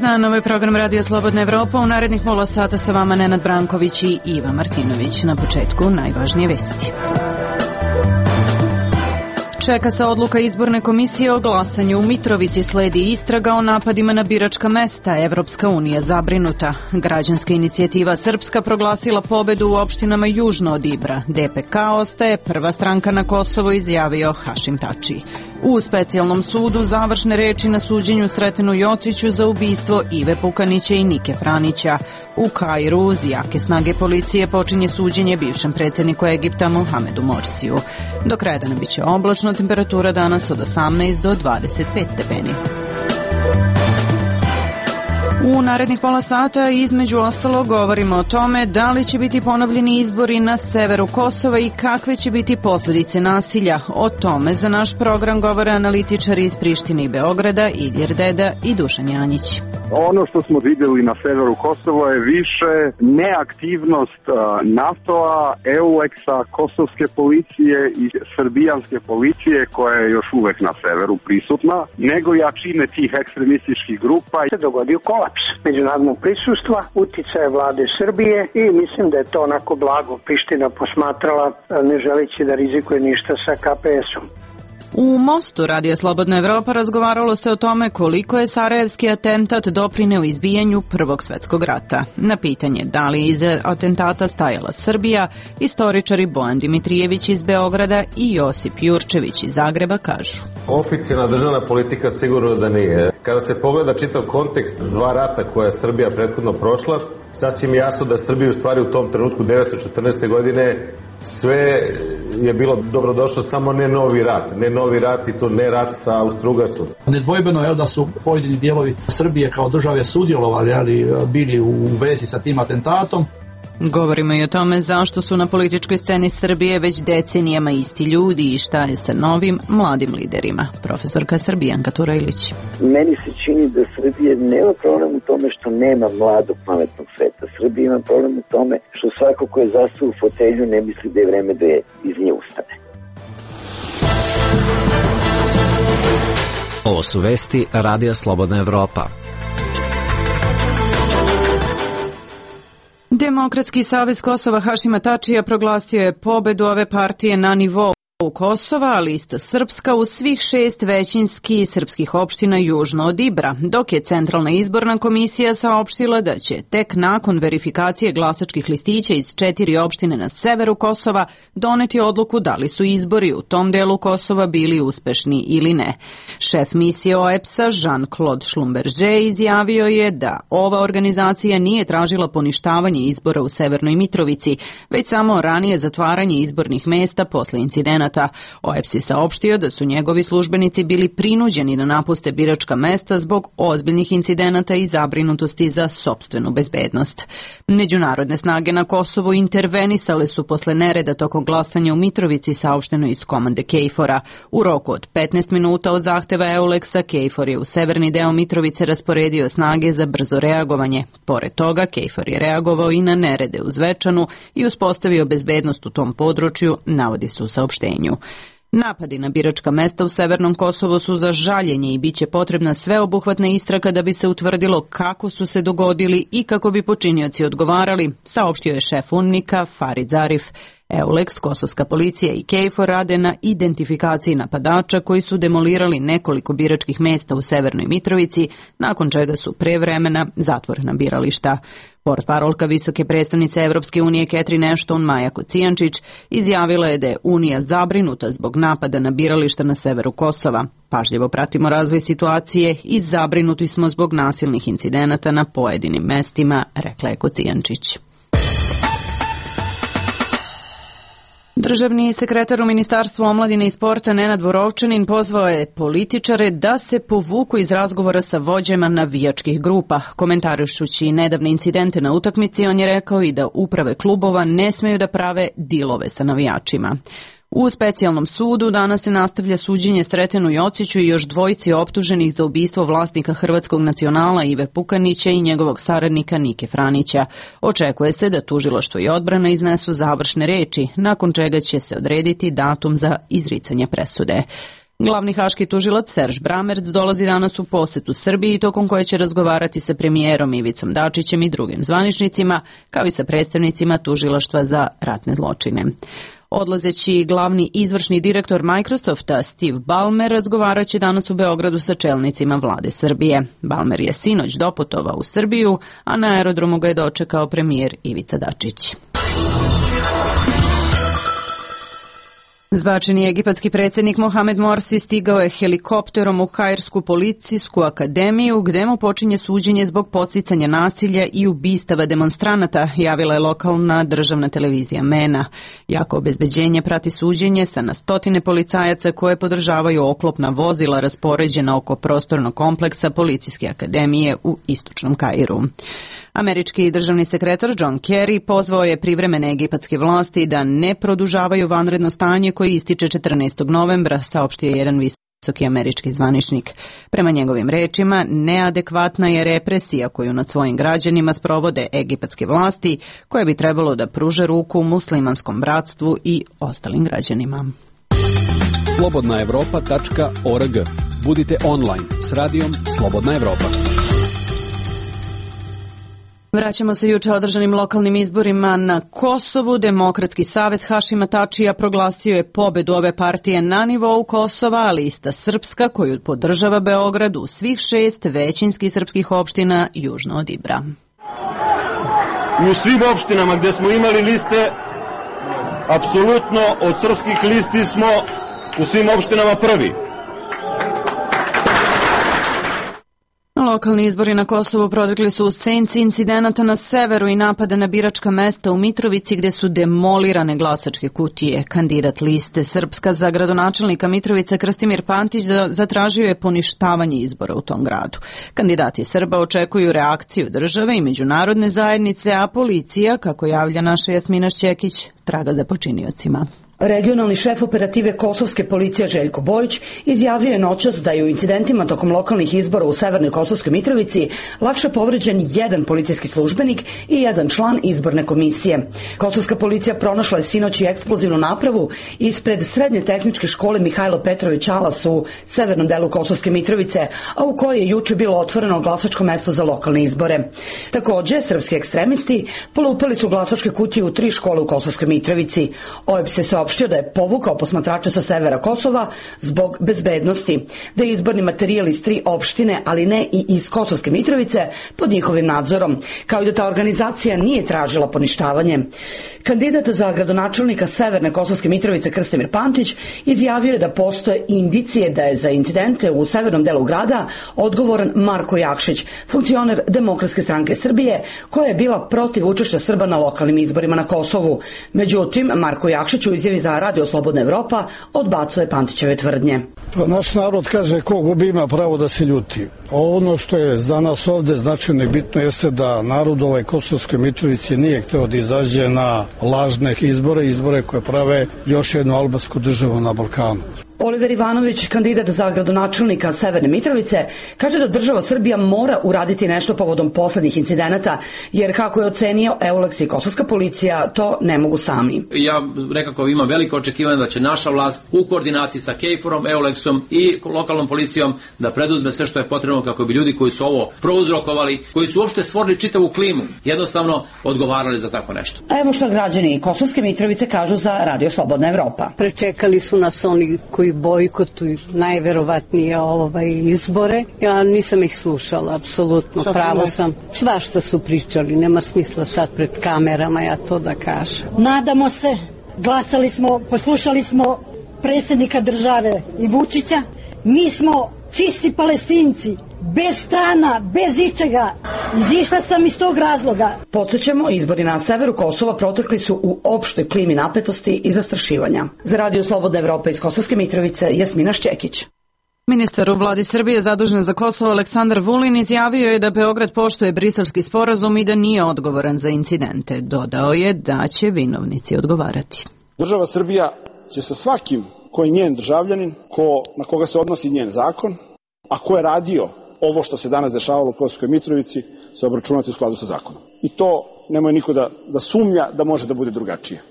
Dan, ovo je program Radio Slobodna Evropa. U narednih pola sata sa vama Nenad Branković i Iva Martinović. Na početku najvažnije vesti. Čeka se odluka izborne komisije o glasanju. U Mitrovici sledi istraga o napadima na biračka mesta. Evropska unija zabrinuta. Građanska inicijativa Srpska proglasila pobedu u opštinama južno od Ibra. DPK ostaje prva stranka na Kosovo, izjavio Hašim Tači. U specijalnom sudu završne reči na suđenju Sretenu Jociću za ubistvo Ive Pukanića i Nike Franića. U Kairu uz jake snage policije počinje suđenje bivšem predsjedniku Egipta Mohamedu Morsiju. Do kraja dana biće oblačno, temperatura danas od 18 do 25 stepeni. U narednih pola sata između ostalog govorimo o tome da li će biti ponovljeni izbori na severu Kosova i kakve će biti posljedice nasilja. O tome za naš program govore analitičari iz Prištine i Beograda, Ilir Deda i Dušan Janjić. Ono što smo vidjeli na severu Kosova je više neaktivnost NATO-a, EULEX-a, kosovske policije i srbijanske policije koja je još uvek na severu prisutna, nego jačine tih ekstremističkih grupa. Se dogodio kolaps međunarodnog prisustva, uticaje vlade Srbije i mislim da je to onako blago Priština posmatrala, ne želeći da rizikuje ništa sa KPS-om. U Mostu Radio Slobodna Evropa razgovaralo se o tome koliko je sarajevski atentat doprineo izbijanju Prvog svjetskog rata. Na pitanje da li iza atentata stajala Srbija, istoričari Bojan Dimitrijević iz Beograda i Josip Jurčević iz Zagreba kažu. Oficijalna državna politika sigurno da nije. Kada se pogleda čitav kontekst dva rata koja je Srbija prethodno prošla, sasvim jasno da Srbija u stvari u tom trenutku 1914. godine sve je bilo dobrodošlo, samo ne novi rat. Ne novi rat i to ne rat sa Austro-Ugarskom. Nedvojbeno je da su pojedini dijelovi Srbije kao države sudjelovali, ali bili u vezi sa tim atentatom. Govorimo i o tome zašto su na političkoj sceni Srbije već decenijama isti ljudi i šta je sa novim mladim liderima. Profesorka Srbijanka Turajlić. Meni se čini da Srbije nema problem u tome što nema mladog pametnog sveta. Srbija ima problem u tome što svako ko je zastao u fotelju ne misli da je vreme da je iz nje ustane. Ovo su vesti Radija Slobodna Evropa. Demokratski savez Kosova Hašima Tačija proglasio je pobedu ove partije na nivou Kosova, a lista Srpska u svih 6 većinskih srpskih opština južno od Ibra, dok je Centralna izborna komisija saopštila da će tek nakon verifikacije glasačkih listića iz 4 opštine na severu Kosova doneti odluku da li su izbori u tom delu Kosova bili uspešni ili ne. Šef misije OEBS-a Jean-Claude Schlumberger izjavio je da ova organizacija nije tražila poništavanje izbora u Severnoj Mitrovici, već samo ranije zatvaranje izbornih mesta posle incidenata. OEBS je saopštio da su njegovi službenici bili prinuđeni da napuste biračka mesta zbog ozbiljnih incidenata i zabrinutosti za sopstvenu bezbednost. Međunarodne snage na Kosovu intervenisale su posle nereda tokom glasanja u Mitrovici, saopšteno iz komande KFOR-a. U roku od 15 minuta od zahteva EULEX-a, KFOR je u severni deo Mitrovice rasporedio snage za brzo reagovanje. Pored toga, KFOR je reagovao i na nerede u Zvečanu i uspostavio bezbednost u tom području, navodi se u saopštenju. Napadi na biračka mesta u Severnom Kosovu su za žaljenje i bit će potrebna sveobuhvatna istraga da bi se utvrdilo kako su se dogodili i kako bi počinioci odgovarali, saopštio je šef UNMIK-a Farid Zarif. EULEX, kosovska policija i KFOR rade na identifikaciji napadača koji su demolirali nekoliko biračkih mesta u Severnoj Mitrovici, nakon čega su pre vremena zatvorena birališta. Portparolka visoke predstavnice Evropske unije Catherine Ashton Maja Kocijančić izjavila je da je Unija zabrinuta zbog napada na birališta na severu Kosova. Pažljivo pratimo razvoj situacije i zabrinuti smo zbog nasilnih incidenata na pojedinim mestima, rekla je Kocijančić. Državni sekretar u Ministarstvu omladine i sporta Nenad Borovčanin pozvao je političare da se povuku iz razgovora sa vođama navijačkih grupa. Komentarišući nedavne incidente na utakmici, on je rekao i da uprave klubova ne smeju da prave dilove sa navijačima. U specijalnom sudu danas se nastavlja suđenje Sretenu Jociću i još dvojici optuženih za ubistvo vlasnika Hrvatskog nacionala Ive Pukanića i njegovog saradnika Nike Franića. Očekuje se da tužilaštvo i odbrana iznesu završne reči, nakon čega će se odrediti datum za izricanje presude. Glavni haški tužilac Serž Bramerc dolazi danas u posetu Srbiji, tokom koje će razgovarati sa premijerom Ivicom Dačićem i drugim zvaničnicima, kao i sa predstavnicima tužilaštva za ratne zločine. Odlazeći glavni izvršni direktor Microsofta Steve Ballmer razgovarat će danas u Beogradu sa čelnicima vlade Srbije. Ballmer je sinoć doputovao u Srbiju, a na aerodromu ga je dočekao premijer Ivica Dačić. Zbačeni egipatski predsjednik Mohamed Morsi stigao je helikopterom u Kairsku policijsku akademiju, gde mu počinje suđenje zbog podsticanja nasilja i ubistava demonstranata, javila je lokalna državna televizija MENA. Jako obezbeđenje prati suđenje sa na stotine policajaca koje podržavaju oklopna vozila raspoređena oko prostornog kompleksa Policijske akademije u istočnom Kairu. Američki državni sekretar John Kerry pozvao je privremene egipatske vlasti da ne produžavaju vanredno stanje koji ističe 14. novembra, saopštio je jedan visoki američki zvaničnik. Prema njegovim rečima, neadekvatna je represija koju nad svojim građanima sprovode egipatske vlasti, koje bi trebalo da pruže ruku muslimanskom bratstvu i ostalim građanima. slobodnaevropa.org. Budite online s radijom Slobodna Evropa. Vraćamo se juče održanim lokalnim izborima na Kosovu. Demokratski savez Hašima Tačija proglasio je pobedu ove partije na nivou Kosova, a lista Srpska, koju podržava Beograd, u svih 6 većinskih srpskih opština južno od Ibra. U svim opštinama gdje smo imali liste, apsolutno od srpskih listi smo u svim opštinama prvi. Lokalni izbori na Kosovu protekli su u senci incidenata na severu i napada na biračka mesta u Mitrovici, gde su demolirane glasačke kutije. Kandidat liste Srpska za gradonačelnika Mitrovice Krstimir Pantić zatražio je poništavanje izbora u tom gradu. Kandidati Srba očekuju reakciju države i međunarodne zajednice, a policija, kako javlja naša Jasmina Šćekić, traga za počiniocima. Regionalni šef operative kosovske policije Željko Bojić izjavio je noćas da je u incidentima tokom lokalnih izbora u Severnoj Kosovskoj Mitrovici lakše povređen jedan policijski službenik i jedan član izborne komisije. Kosovska policija pronašla je sinoć i eksplozivnu napravu ispred Srednje tehničke škole Mihajlo Petrović Alas u severnom delu Kosovske Mitrovice, a u kojoj je juče bilo otvoreno glasačko mesto za lokalne izbore. Takođe, srpski ekstremisti polupali su glasačke kutije u 3 škole u Kosovskoj Mitrovici. OEBS se saopštio da je povukao posmatrače sa severa Kosova zbog bezbednosti, da je izborni materijal iz 3 opštine, ali ne i iz Kosovske Mitrovice, pod njihovim nadzorom, kao i da ta organizacija nije tražila poništavanje. Kandidat za gradonačelnika Severne Kosovske Mitrovice Krstimir Pantić izjavio je da postoje indicije da je za incidente u severnom delu grada odgovoran Marko Jakšić, funkcioner Demokratske stranke Srbije, koja je bila protiv učešća Srba na lokalnim izborima na Kosovu. Međutim, Marko Jakšić u izjavi za Radio Slobodna Evropa odbacuje Pantićeve tvrdnje. Pa naš narod kaže ko gubi ima pravo da se ljuti. Ono što je za nas ovde značajno i bitno jeste da narod u Kosovskoj Mitrovici nije hteo da izađe na lažne izbore koje prave još jednu albansku državu na Balkanu. Oliver Ivanović, kandidat za gradonačelnika Severne Mitrovice, kaže da država Srbija mora uraditi nešto povodom poslednjih incidenata, jer kako je ocenio EULEX i kosovska policija, to ne mogu sami. Ja nekako imam veliko očekivanje da će naša vlast u koordinaciji sa KFOR-om, EULEX-om i lokalnom policijom da preduzme sve što je potrebno kako bi ljudi koji su ovo prouzrokovali, koji su uopšte stvorili čitavu klimu, jednostavno odgovarali za tako nešto. A evo što građani Kosovske Mitrovice kažu za Radio Slobodna Evropa. Prečekali su nas oni koji bojkotuju najverovatnije izbore. Ja nisam ih slušala, apsolutno, pravo sam. Svašta su pričali, nema smisla sad pred kamerama ja to da kažem. Nadamo se, glasali smo, poslušali smo predsjednika države i Vučića. Mi smo čisti Palestinci, bez strana, bez ičega. Izišla sam iz tog razloga. Podsjećamo, izbori na severu Kosova protekli su u opštoj klimi napetosti i zastrašivanja. Za Radio Slobodna Evropa iz Kosovske Mitrovice, Jasmina Šćekić. Ministar u vladi Srbije zadužen za Kosovo Aleksandar Vulin izjavio je da Beograd poštuje Briselski sporazum i da nije odgovoran za incidente. Dodao je da će vinovnici odgovarati. Država Srbija će sa svakim ko je njen državljanin, na koga se odnosi njen zakon, a ko je radio ovo što se danas dešavalo u Kosovskoj Mitrovici, se obračunati u skladu sa zakonom. I to nemoj niko da sumnja da može da bude drugačije.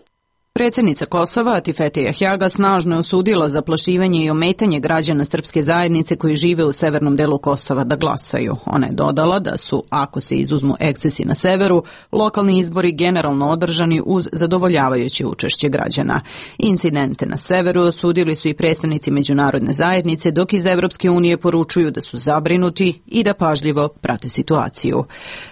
Predsjednica Kosova, Atifete Jahjaga, snažno je osudila zaplašivanje i ometanje građana srpske zajednice koji žive u severnom delu Kosova da glasaju. Ona je dodala da su, ako se izuzmu ekscesi na severu, lokalni izbori generalno održani uz zadovoljavajuće učešće građana. Incidente na severu osudili su i predstavnici međunarodne zajednice, dok iz Evropske unije poručuju da su zabrinuti i da pažljivo prate situaciju.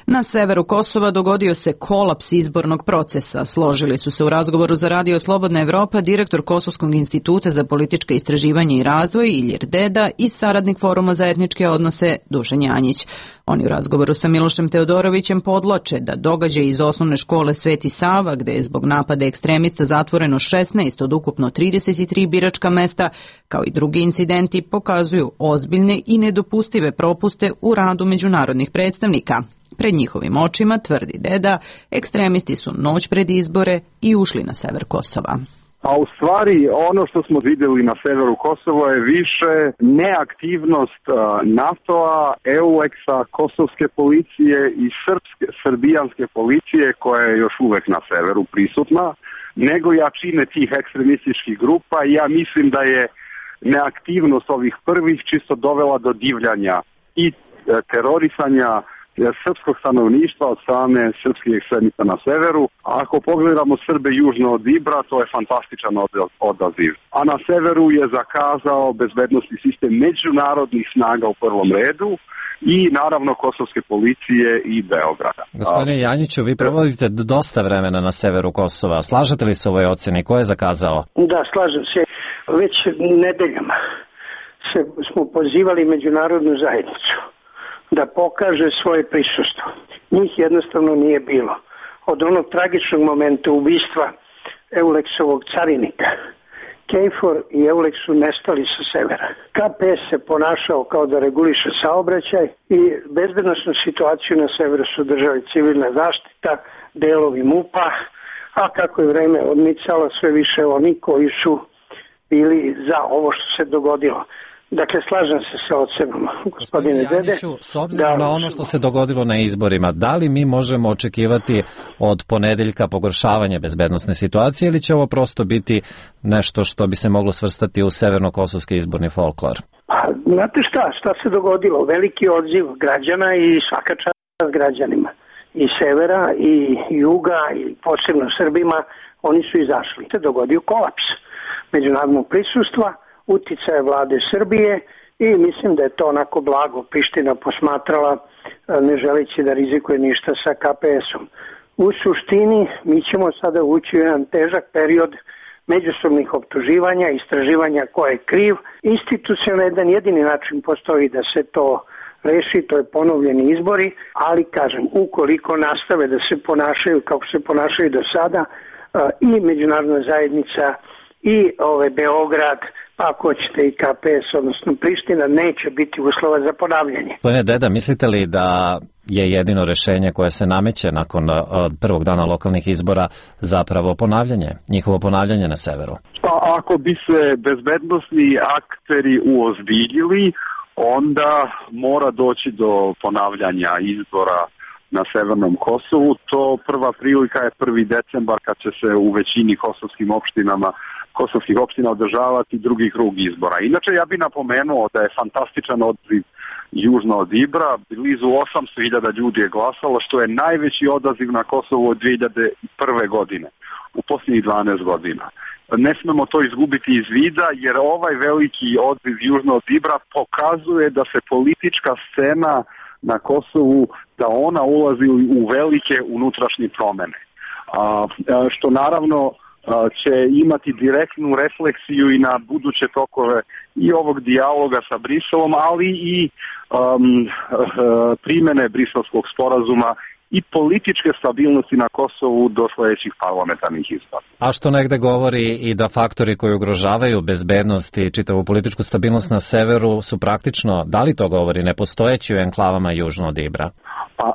Na severu Kosova dogodio se kolaps izbornog procesa. Složili su se u razgovoru za Radio Slobodna Evropa direktor Kosovskog instituta za politička istraživanja i razvoj Ilir Deda i saradnik Foruma za etničke odnose Dušan Janjić. Oni u razgovoru sa Milošem Teodorovićem podloče da događaj iz osnovne škole Sveti Sava, gde je zbog napada ekstremista zatvoreno 16 od ukupno 33 biračka mesta, kao i drugi incidenti, pokazuju ozbiljne i nedopustive propuste u radu međunarodnih predstavnika. Pred njihovim očima, tvrdi Deda, ekstremisti su noć pred izbore i ušli na sever Kosova. A u stvari ono što smo vidjeli na severu Kosova je više neaktivnost NATO-a, EULEX-a, kosovske policije i srbijanske policije koja je još uvek na severu prisutna, nego jačine tih ekstremističkih grupa i ja mislim da je neaktivnost ovih prvih čisto dovela do divljanja i terorisanja srpskog stanovništva od strane srpskih ekstremista na severu. A ako pogledamo Srbe južno od Ibra, to je fantastičan odaziv. A na severu je zakazao bezbednosni sistem međunarodnih snaga u prvom redu i naravno kosovske policije i Beograda. Gospodine Janjiću, vi provodite dosta vremena na severu Kosova. Slažete li se ovoj oceni? Ko je zakazao? Da, slažem se. Već nedeljama smo pozivali međunarodnu zajednicu da pokaže svoje prisustvo. Njih jednostavno nije bilo. Od onog tragičnog momenta ubistva EULEX-ovog carinika, KFOR i EULEX su nestali sa severa. KPS se ponašao kao da reguliše saobraćaj i bezbednosnu situaciju na severu su držali civilna zaštita, delovi MUP-a, a kako je vreme odmicalo, sve više oni koji su bili za ovo što se dogodilo. Dakle, slažem se sa ocenom, gospodine Dede. S obzirom na ono što se dogodilo na izborima, da li mi možemo očekivati od ponedeljka pogoršavanje bezbednosne situacije ili će ovo prosto biti nešto što bi se moglo svrstati u severno-kosovski izborni folklor? Pa, znate šta se dogodilo? Veliki odziv građana i svaka čast građanima. I severa, i juga, i posebno Srbima, oni su izašli. Se dogodio kolaps međunarodnog prisustva, uticaje vlade Srbije i mislim da je to onako blago Priština posmatrala, ne želeći da rizikuje ništa sa KPS-om. U suštini mi ćemo sada ući u jedan težak period međusobnih optuživanja, istraživanja ko je kriv. Institucionalno jedan jedini način postoji da se to reši, to je ponovljeni izbori, ali kažem, ukoliko nastave da se ponašaju kako se ponašaju do sada i međunarodna zajednica i Beograd, pa ako ćete i KPS, odnosno Priština, neće biti uslova za ponavljanje. Gospodine Deda, mislite li da je jedino rešenje koje se nameće nakon prvog dana lokalnih izbora zapravo ponavljanje, njihovo ponavljanje na severu? Pa ako bi se bezbednosni akteri uozbiljili, onda mora doći do ponavljanja izbora na severnom Kosovu. To prva prilika je 1. decembar kad će se u većini kosovskih opština održavati drugi krug izbora. Inače, ja bih napomenuo da je fantastičan odaziv južno od Ibra. Blizu 800.000 ljudi je glasalo, što je najveći odaziv na Kosovu od 2001. godine, u posljednjih 12 godina. Ne smemo to izgubiti iz vida, jer ovaj veliki odziv južno od Ibra pokazuje da se politička scena na Kosovu, da ona ulazi u velike unutrašnje promene. Što naravno će imati direktnu refleksiju i na buduće tokove i ovog dijaloga sa Briselom, ali i primene Briselskog sporazuma i političke stabilnosti na Kosovu do sledećih parlamentarnih izbora. A što negde govori i da faktori koji ugrožavaju bezbednost i čitavu političku stabilnost na severu su praktično, da li to govori, nepostojeći u enklavama južno od Ibra? Pa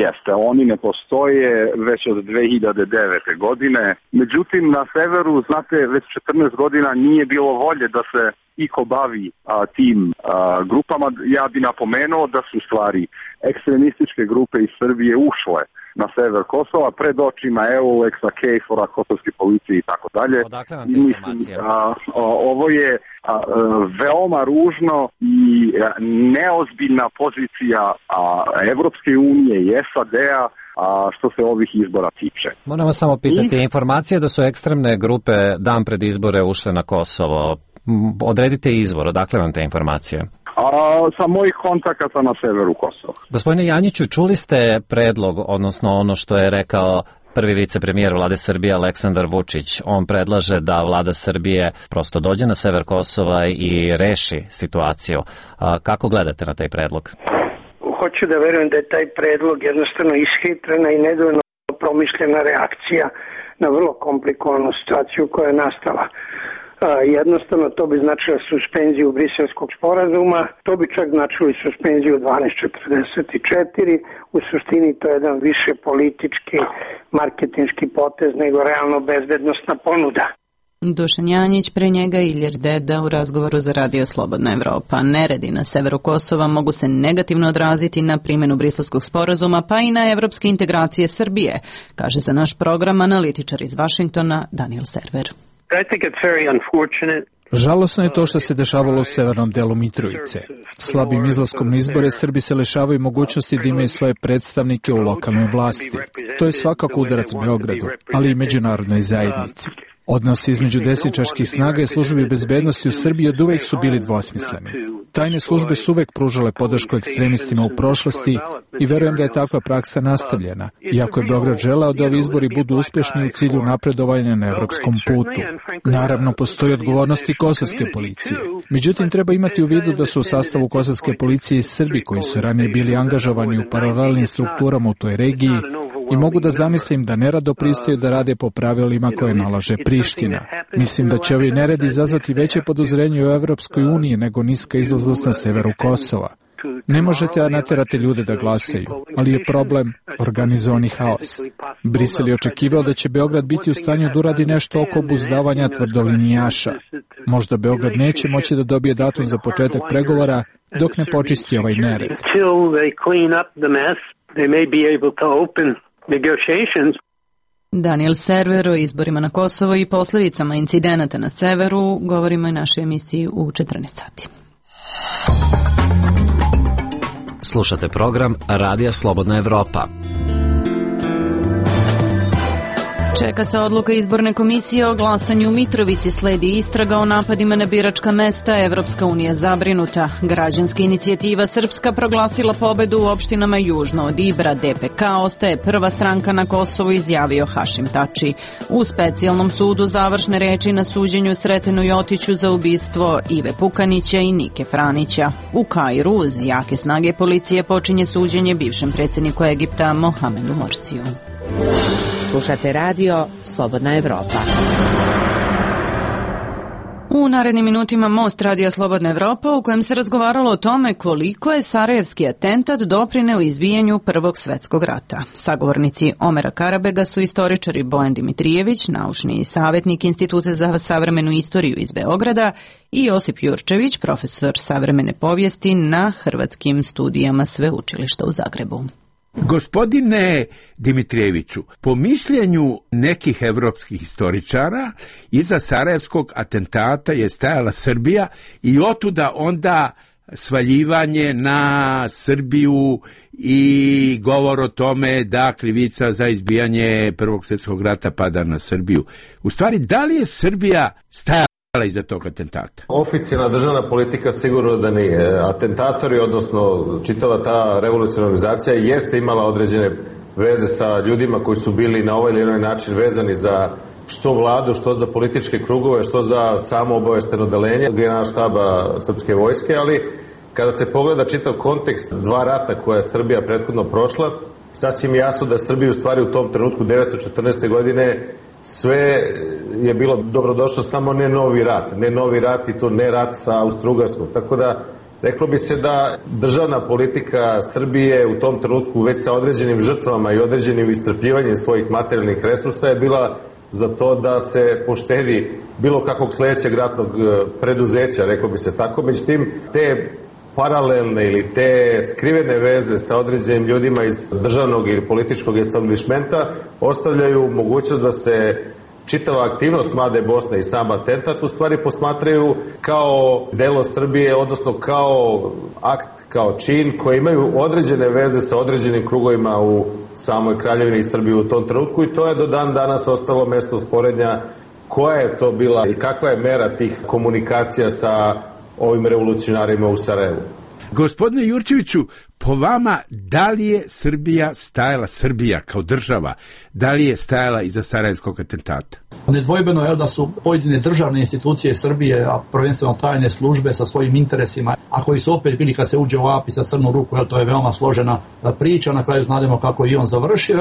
Jeste. Oni ne postoje već od 2009. godine. Međutim, na severu, znate, već 14 godina nije bilo volje da se iko bavi tim grupama. Ja bi napomenuo da su stvari ekstremističke grupe iz Srbije ušle na sever Kosova pred očima EULEX-a, KFOR-a, kosovske policije i tako dalje. Odakle vam te informacije? Ovo je veoma ružno i neozbiljna pozicija Evropske unije i SAD-a što se ovih izbora tiče. Moram vas samo pitati, informacije da su ekstremne grupe dan pred izbore ušle na Kosovo. Odredite izvor, odakle vam te informacije? Sa mojih kontakata na severu Kosova. Gospodine Janjiću, čuli ste predlog, odnosno ono što je rekao prvi vicepremijer vlade Srbije Aleksandar Vučić. On predlaže da vlada Srbije prosto dođe na sever Kosova i reši situaciju. Kako gledate na taj predlog? Hoću da verujem da je taj predlog jednostavno ishitrena i nedovoljno promišljena reakcija na vrlo komplikovanu situaciju koja je nastala. Jednostavno to bi značilo suspenziju Briselskog sporazuma, to bi čak značilo i suspenziju 1244, u suštini to je jedan više politički, marketinški potez nego realno bezbednosna ponuda. Dušan Janjić, pre njega Ilir Deda u razgovoru za Radio Slobodna Evropa. Neredi na severu Kosova mogu se negativno odraziti na primjenu Briselskog sporazuma pa i na evropske integracije Srbije, kaže za naš program analitičar iz Vašingtona Daniel Server. Žalosno je to što se dešavalo u severnom delu Mitrovice. Slabim izlaskom na izbore Srbi se lišavaju mogućnosti da imaju svoje predstavnike u lokalnoj vlasti. To je svakako udarac Beogradu, ali i međunarodnoj zajednici. Odnosi između desničarskih snaga i službi bezbednosti u Srbiji od uvek su bili dvosmisleni. Tajne službe su uvek pružale podršku ekstremistima u prošlosti i verujem da je takva praksa nastavljena, iako je Beograd želeo da ovi izbori budu uspešni u cilju napredovanja na evropskom putu. Naravno, postoji odgovornost i kosovske policije. Međutim, treba imati u vidu da su u sastavu kosovske policije i Srbi koji su ranije bili angažovani u paralelnim strukturama u toj regiji i mogu da zamislim da nerado pristaju da rade po pravilima koje nalaže Priština. Mislim da će ovi neredi izazvati veće podozrenje u Evropskoj uniji nego niska izlaznost na severu Kosova. Ne možete naterati ljude da glasaju, ali je problem organizovani haos. Brisel je očekivao da će Beograd biti u stanju da uradi nešto oko obuzdavanja tvrdolinijaša. Možda Beograd neće moći da dobije datum za početak pregovora dok ne počisti ovaj nered. Daniel Server o izborima na Kosovo i posljedicama incidenata na severu govorimo i našoj emisiji u 14 sati. Slušate program Radija Slobodna Evropa. Čeka se odluka izborne komisije o glasanju u Mitrovici, sledi istraga o napadima na biračka mesta, Evropska unija zabrinuta. Građanska inicijativa Srpska proglasila pobedu u opštinama južno od Ibra, DPK ostaje prva stranka na Kosovu, izjavio Hašim Tači. U specijalnom sudu završne reči na suđenju Sretenu Jotiću za ubistvo Ive Pukanića i Nike Franića. U Kairu uz jake snage policije počinje suđenje bivšem predsjedniku Egipta Mohamedu Morsiju. Slušate radio Slobodna Evropa. U narednim minutima Most Radija Slobodna Evropa u kojem se razgovaralo o tome koliko je sarajevski atentat doprineo izbijanju Prvog svetskog rata. Sagovornici Omera Karabega su istoričari Bojan Dimitrijević, naučni savjetnik Instituta za savremenu istoriju iz Beograda, i Josip Jurčević, profesor savremene povijesti na Hrvatskim studijama Sveučilišta u Zagrebu. Gospodine Dimitrijeviću, po mišljenju nekih evropskih historičara, iza sarajevskog atentata je stajala Srbija i otuda onda svaljivanje na Srbiju i govor o tome da krivica za izbijanje Prvog svjetskog rata pada na Srbiju. U stvari, da li je Srbija stajala iza tog atentata? Oficijalna državna politika sigurno da nije. Atentatori, odnosno čitava ta revolucionarna organizacija jeste imala određene veze sa ljudima koji su bili na ovaj ili onaj način vezani za što vladu, što za političke krugove, što za samo obavešteno odeljenje generalštaba srpske vojske, ali kada se pogleda čitav kontekst dva rata koja je Srbija prethodno prošla, sasvim jasno da Srbija u stvari u tom trenutku 1914. godine sve je bilo dobrodošlo, samo ne novi rat i to ne rat sa Austro-Ugarskom. Tako da Reklo bi se da državna politika Srbije u tom trenutku već sa određenim žrtvama i određenim iscrpljivanjem svojih materijalnih resursa je bila za to da se poštedi bilo kakvog sledećeg ratnog preduzeća, reklo bi se tako. Međutim, te paralelne ili te skrivene veze sa određenim ljudima iz državnog ili političkog establishmenta ostavljaju mogućnost da se čitava aktivnost Mlade Bosne i sam atentat u stvari posmatraju kao delo Srbije, odnosno kao akt, kao čin koji imaju određene veze sa određenim krugovima u samoj Kraljevini i Srbiji u tom trenutku, i to je do dan danas ostalo mesto sporednja koja je to bila i kakva je mera tih komunikacija sa ovim revolucionarima u Sarajevu. Gospodine Jurčeviću, po vama, da li je Srbija kao država, da li je stajala iza sarajevskog atentata? Nedvojbeno je da su pojedine državne institucije Srbije, a prvenstveno tajne službe sa svojim interesima, a koji su opet bili kad se uđe u API sa crnu ruku, to je veoma složena priča, na kraju znademo kako i on završio,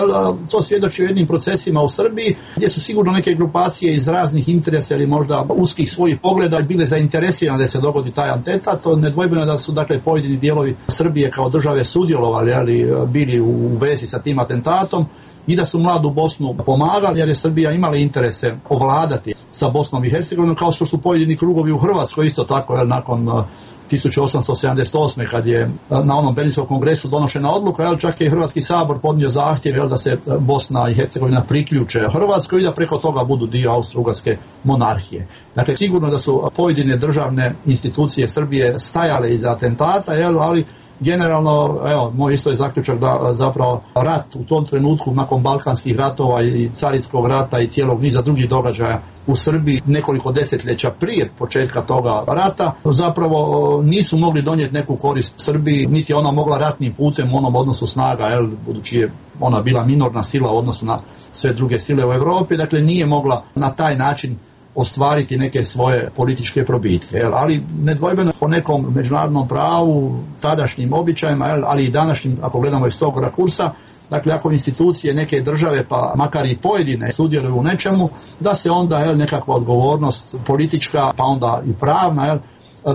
to svjedoči o jednim procesima u Srbiji gdje su sigurno neke grupacije iz raznih interesa ili možda uskih svojih pogleda bile zainteresirane da se dogodi taj atentat. To nedvojbeno je da su pojedini dijelovi Srbije kao države sudjelovali, ali bili u vezi sa tim atentatom i da su Mladu Bosnu pomagali, jer je Srbija imala interese ovladati sa Bosnom i Hercegovinom, kao što su pojedini krugovi u Hrvatskoj isto tako, nakon 1878. kad je na onom Berlinskom kongresu donošena odluka, čak je i Hrvatski sabor podnio zahtjev da se Bosna i Hercegovina priključe Hrvatskoj i da preko toga budu dio Austro-Ugarske monarhije. Dakle, sigurno da su pojedine državne institucije Srbije stajale iza atentata, ali generalno, moj isto je zaključak da zapravo rat u tom trenutku nakon Balkanskih ratova i Carinskog rata i cijelog niza drugih događaja u Srbiji nekoliko desetljeća prije početka toga rata zapravo nisu mogli donijeti neku korist Srbiji, niti je ona mogla ratnim putem u onom odnosu snaga, budući je ona bila minorna sila u odnosu na sve druge sile u Europi, dakle nije mogla na taj način ostvariti neke svoje političke probitke, ali nedvojbeno po nekom međunarodnom pravu, tadašnjim običajima, ali i današnjim, ako gledamo iz tog rakursa, dakle ako institucije neke države, pa makar i pojedine, sudjeluju u nečemu, da se onda nekakva odgovornost politička, pa onda i pravna,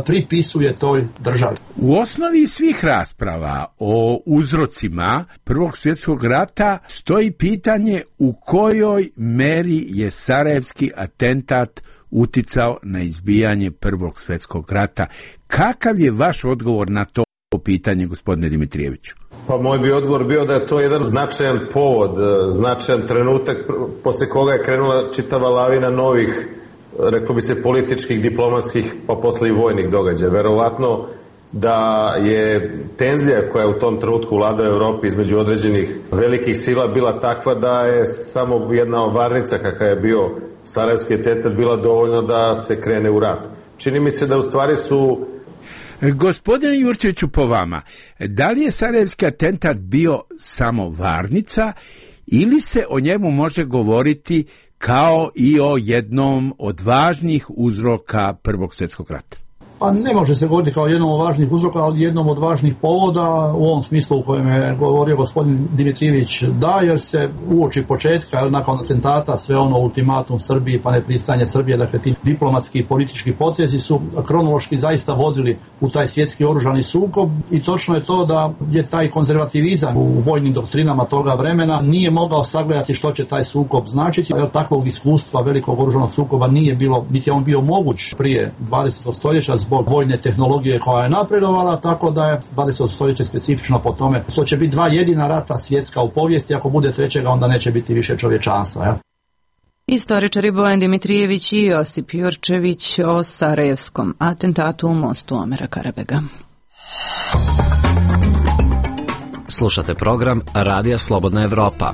pripisuje toj državi. U osnovi svih rasprava o uzrocima Prvog svjetskog rata stoji pitanje u kojoj meri je sarajevski atentat uticao na izbijanje Prvog svjetskog rata. Kakav je vaš odgovor na to pitanje, gospodine Dimitrijeviću? Pa moj bi odgovor bio da je to jedan značajan povod, značajan trenutak posle koga je krenula čitava lavina novih, reklo bi se, političkih, diplomatskih, pa posle i vojnih događaja. Verovatno da je tenzija koja je u tom trenutku vladala u Evropi između određenih velikih sila bila takva da je samo jedna varnica kakva je bio sarajevski atentat bila dovoljno da se krene u rat. Čini mi se da u stvari su... Gospodine Jurčeviću, po vama, da li je sarajevski atentat bio samo varnica ili se o njemu može govoriti kao i o jednom od važnih uzroka Prvog svjetskog rata? Pa ne može se govoriti kao jednom od važnih uzroka, ali jednom od važnih povoda u ovom smislu u kojem je govorio gospodin Dimitrijević, da, jer se uoči početka, nakon atentata, sve ono ultimatum Srbiji pa nepristanje Srbije, dakle ti diplomatski i politički potezi su kronološki zaista vodili u taj svjetski oružani sukob i točno je to da je taj konzervativizam u vojnim doktrinama toga vremena nije mogao sagledati što će taj sukob značiti, jer takvog iskustva velikog oružanog sukoba nije bilo, niti je on bio moguć prije 20. stoljeća zbog vojne tehnologije koja je napredovala, tako da je 20. stoljeće specifično po tome. To će biti dva jedina rata svjetska u povijesti, ako bude trećega onda neće biti više čovječanstva. Ja? Istoričari Bojan Dimitrijević i Josip Jurčević o sarajevskom atentatu u mostu Omera Karabega. Slušate program Radija Slobodna Evropa.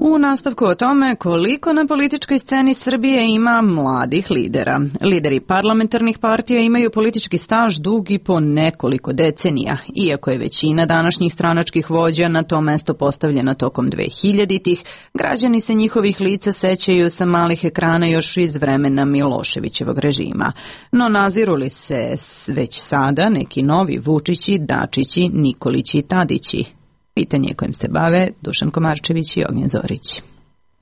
U nastavku o tome koliko na političkoj sceni Srbije ima mladih lidera. Lideri parlamentarnih partija imaju politički staž dug i po nekoliko decenija, iako je većina današnjih stranačkih vođa na to mesto postavljena tokom 2000-ih, građani se njihovih lica sećaju sa malih ekrana još iz vremena Miloševićevog režima. No naziru li se već sada neki novi Vučići, Dačići, Nikolići i Tadići? Pitanje kojim se bave Dušan Komarčević i Ognjen Zorić.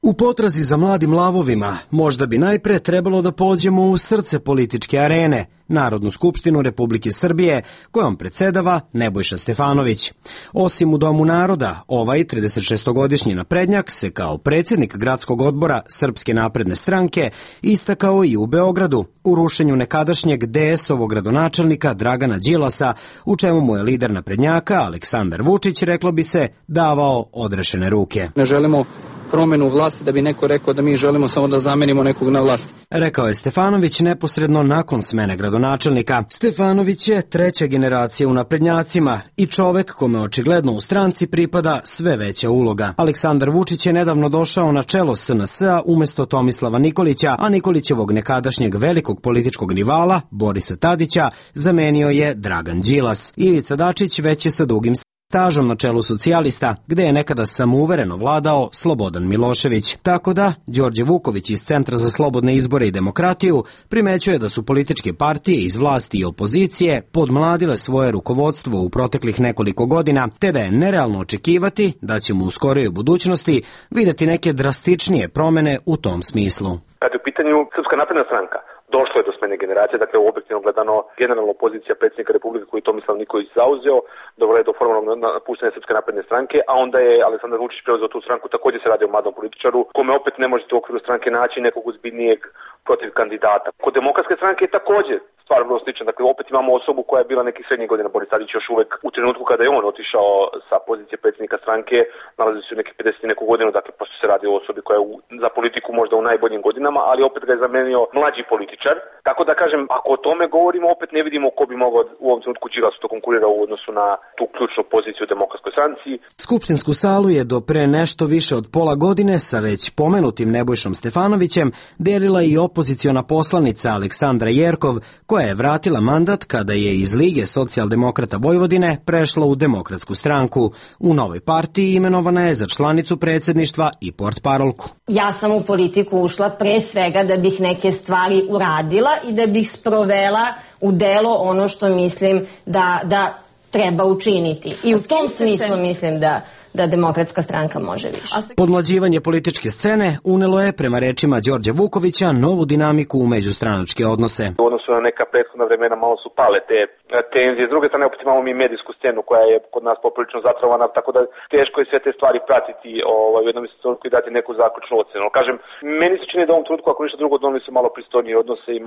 U potrazi za mladim lavovima možda bi najpre trebalo da pođemo u srce političke arene, Narodnu skupštinu Republike Srbije, kojom predsedava Nebojša Stefanović. Osim u Domu naroda, ovaj 36-godišnji naprednjak se kao predsjednik gradskog odbora Srpske napredne stranke istakao i u Beogradu u rušenju nekadašnjeg DS-ovog gradonačelnika Dragana Đilasa, u čemu mu je lider naprednjaka Aleksandar Vučić, reklo bi se, davao odrešene ruke. Ne želimo promenu vlasti da bi neko rekao da mi želimo samo da zamenimo nekog na vlasti. Rekao je Stefanović neposredno nakon smene gradonačelnika. Stefanović je treća generacija u naprednjacima i čovek kome očigledno u stranci pripada sve veća uloga. Aleksandar Vučić je nedavno došao na čelo SNS-a umesto Tomislava Nikolića, a Nikolićevog nekadašnjeg velikog političkog rivala, Borisa Tadića, zamenio je Dragan Đilas. Ivica Dačić već je sa dugim stažom na čelu socijalista, gde je nekada samouvereno vladao Slobodan Milošević. Tako da, Đorđe Vuković iz Centra za slobodne izbore i demokratiju primećuje da su političke partije iz vlasti i opozicije podmladile svoje rukovodstvo u proteklih nekoliko godina, te da je nerealno očekivati da ćemo u skorijoj budućnosti videti neke drastičnije promene u tom smislu. Kad je u pitanju Srpska napredna stranka, došlo je do smene generacije, dakle objektivno gledano generalna opozicija predsjednika Republike koji je Tomislav Nikolić zauzeo, dovela je do formalnog napuštanja Srpske napredne stranke, a onda je Aleksandar Vučić preuzeo tu stranku, također se radi o mladom političaru, kome opet ne možete u okviru stranke naći nekog ozbiljnijeg protiv kandidata. Kod Demokratske stranke je također stvar vrlo slična, dakle opet imamo osobu koja je bila nekih srednjih godina, Boris Tadić još uvek u trenutku kada je on otišao sa pozicije predsjednika stranke, nalazi se u nekih 50 neku godinu, dakle pošto se radi o osobi koja je za politiku možda u najboljim godinama, ali opet ga je zamenio mlađi političar. Tako da kažem, ako o tome govorimo, opet ne vidimo ko bi mogao u ovom trenutku Đilasu to konkurira u odnosu na tu ključnu poziciju u Demokratskoj stranci. Skupštinsku salu je do pre nešto više od pola godine sa već pomenutim Nebojšom Stefanovićem delila i opoziciona poslanica Aleksandra Jerkov, koja je vratila mandat kada je iz Lige socijaldemokrata Vojvodine prešla u Demokratsku stranku. U novoj partiji imenovana je za članicu predsjedništva i portparolku. Ja sam u politiku ušla pre svega da bih neke stvari uradila i da bih sprovela u delo ono što mislim da treba učiniti. I u tom smislu mislim da Demokratska stranka može više. Podmlađivanje političke scene unelo je, prema rečima Đorđa Vukovića, novu dinamiku u međustranačke odnose. U odnosu na neka prethodna vremena malo su pale te tenzije. S druge strane, opet imamo mi medijsku scenu koja je kod nas poprilično zatrovana, tako da teško je sve te stvari pratiti u jednom trenutku i dati neku zaključnu ocenu. Kažem, meni se čini da u ovom trenutku, ako ništa drugo, doneli su malo pristojnije odnose i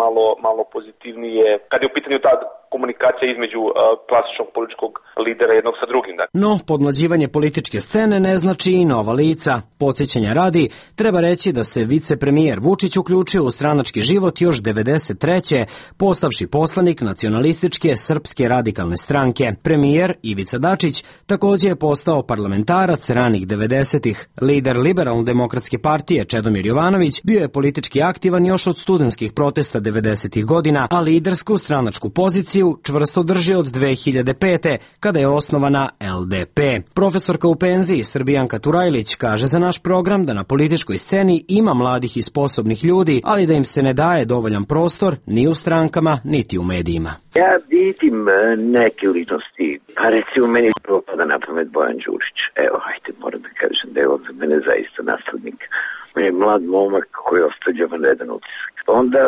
malo pozitivnije, kad je u pitanju ta komunikacija između klasičnog političkog lidera jednog sa drugim. No, podmlađivanje političke scene ne znači i nova lica. Podsjećanja radi, treba reći da se vicepremijer Vučić uključio u stranački život još 93. postavši poslanik nacionalističke Srpske radikalne stranke. Premijer Ivica Dačić također je postao parlamentarac ranih 90-ih. Lider Liberalno-demokratske partije Čedomir Jovanović bio je politički aktivan još od studentskih protesta 90-ih godina, a lidersku stranačku poziciju čvrsto drži od 2005. kada je osnovana LDP. Profesorka u penziji Srbijanka Turajlić kaže za naš program da na političkoj sceni ima mladih i sposobnih ljudi, ali da im se ne daje dovoljan prostor ni u strankama, niti u medijima. Ja vidim neke ličnosti, pa recimo meni prvo pada na pamet Bojan Đurić. Evo, hajde, moram da kažem da je on za mene zaista naslednik. On je mlad momak koji ostavlja vanredan utisak. Onda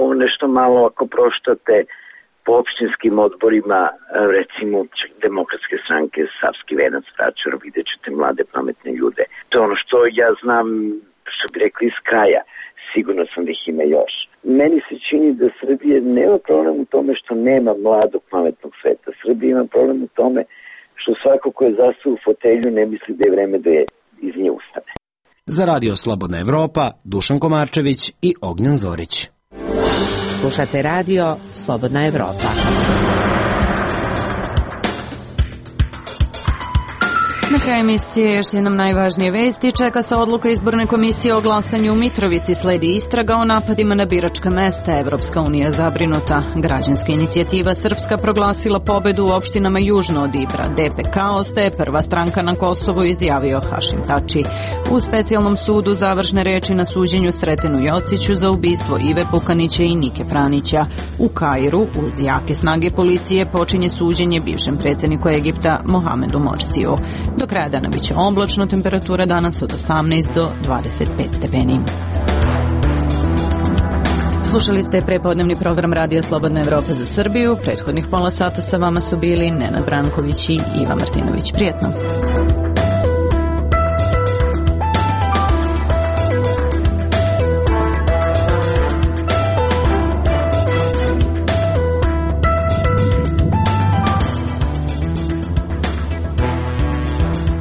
ovo nešto malo ako proštate po opštinskim odborima, recimo Demokratske stranke, Savski Venac, Vračar, vidjet ćete mlade pametne ljude. To je ono što ja znam, što bi rekli iz kraja, sigurno sam da ih ima još. Meni se čini da Srbije nema problem u tome što nema mladog pametnog sveta. Srbija ima problem u tome što svako ko je zastao u fotelju ne misli da je vreme da je iz nje ustane. Za Radio Slobodna Evropa, Dušan Komarčević i Ognjan Zorić. Slušate Radio Slobodna Evropa. Na kraju emisije još jednom najvažnije vesti. Čeka se odluka izborne komisije o glasanju u Mitrovici. Sledi istraga o napadima na biračka mesta. Evropska unija zabrinuta. Građanska inicijativa Srpska proglasila pobedu u opštinama južno od Ibra. DPK ostaje prva stranka na Kosovu, izjavio Hašim Tači. U specijalnom sudu završne reči na suđenju Sretenu Jociću za ubistvo Ive Pukanića i Nike Franića. U Kairu uz jake snage policije počinje suđenje bivšem predsjedniku Egipta Mohamedu Morsiju. Do kraja dana biće oblačno, temperatura danas od 18 do 25 stepeni. Slušali ste prepodnevni program Radija Slobodna Evropa za Srbiju. Prethodnih pola sata sa vama su bili Nenad Branković i Iva Martinović. Prijetno.